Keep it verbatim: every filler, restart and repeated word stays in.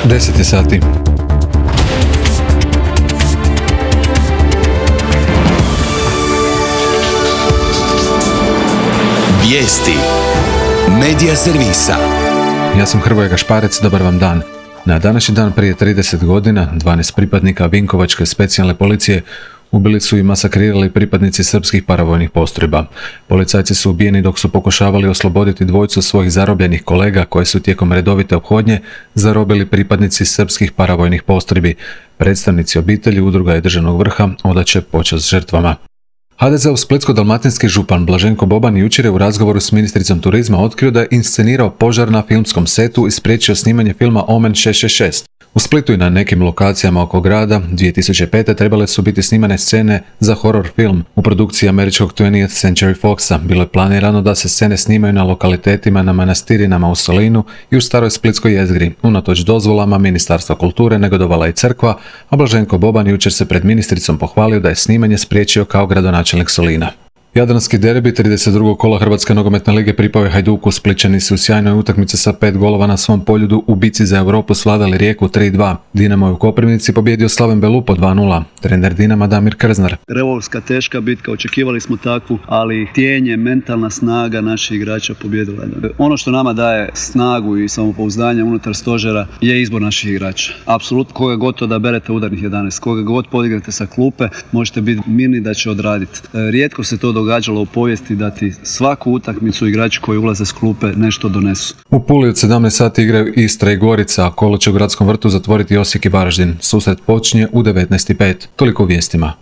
deset je sati. Vijesti Medija servisa. Ja sam Hrvoje Gašparec, dobar vam dan. Na današnji dan prije trideset godina dvanaest pripadnika Vinkovačke specijalne policije ubili su i masakrirali pripadnici srpskih paravojnih postrojba. Policajci su ubijeni dok su pokušavali osloboditi dvojicu svojih zarobljenih kolega koje su tijekom redovite ophodnje zarobili pripadnici srpskih paravojnih postrojbi. Predstavnici obitelji, udruga i državnog vrha odaće počast žrtvama. ha de ze-ov splitsko-dalmatinski župan Blaženko Boban jučer je u razgovoru s ministricom turizma otkrio da je inscenirao požar na filmskom setu i spriječio snimanje filma Omen šest šest šest. U Splitu i na nekim lokacijama oko grada dvije tisuće pete trebale su biti snimane scene za horor film. U produkciji američkog twentieth Century Foxa bilo je planirano da se scene snimaju na lokalitetima na manastirinama u Solinu i u staroj splitskoj jezgri. Unatoč dozvolama Ministarstva kulture negodovala i crkva, a Blaženko Boban jučer se pred ministricom pohvalio da je snimanje spriječio kao gradonačelnik Solina. Jadranski derbi trideset drugog kola Hrvatske nogometne lige pripao je Hajduku. Splićani su u sjajnoj utakmici sa pet golova na svom poljudu u bici za Europu svladali Rijeku tri dva. Dinamo je u Koprivnici pobjedio Slaven Belupo dva nula. Trener Dinama Damir Krznar. Revolska teška bitka, očekivali smo takvu, ali htjenje, mentalna snaga naših igrača pobjedila. Ono što nama daje snagu i samopouzdanje unutar stožera je izbor naših igrača. Apsolutno, koga god to da berete udarnih jedanaest, koga god podigrate sa klupe, možete biti mirni da će odraditi. Rijetko se to događalo u povijesti da ti svaku utakmicu igrači koji ulaze s klupe nešto donesu. U Puli od sedamnaest sati igraju Istra i Gorica, a kolo će u Gradskom vrtu zatvoriti Osijek i Varaždin. Susret počinje u devetnaest i pet. Toliko u vijestima.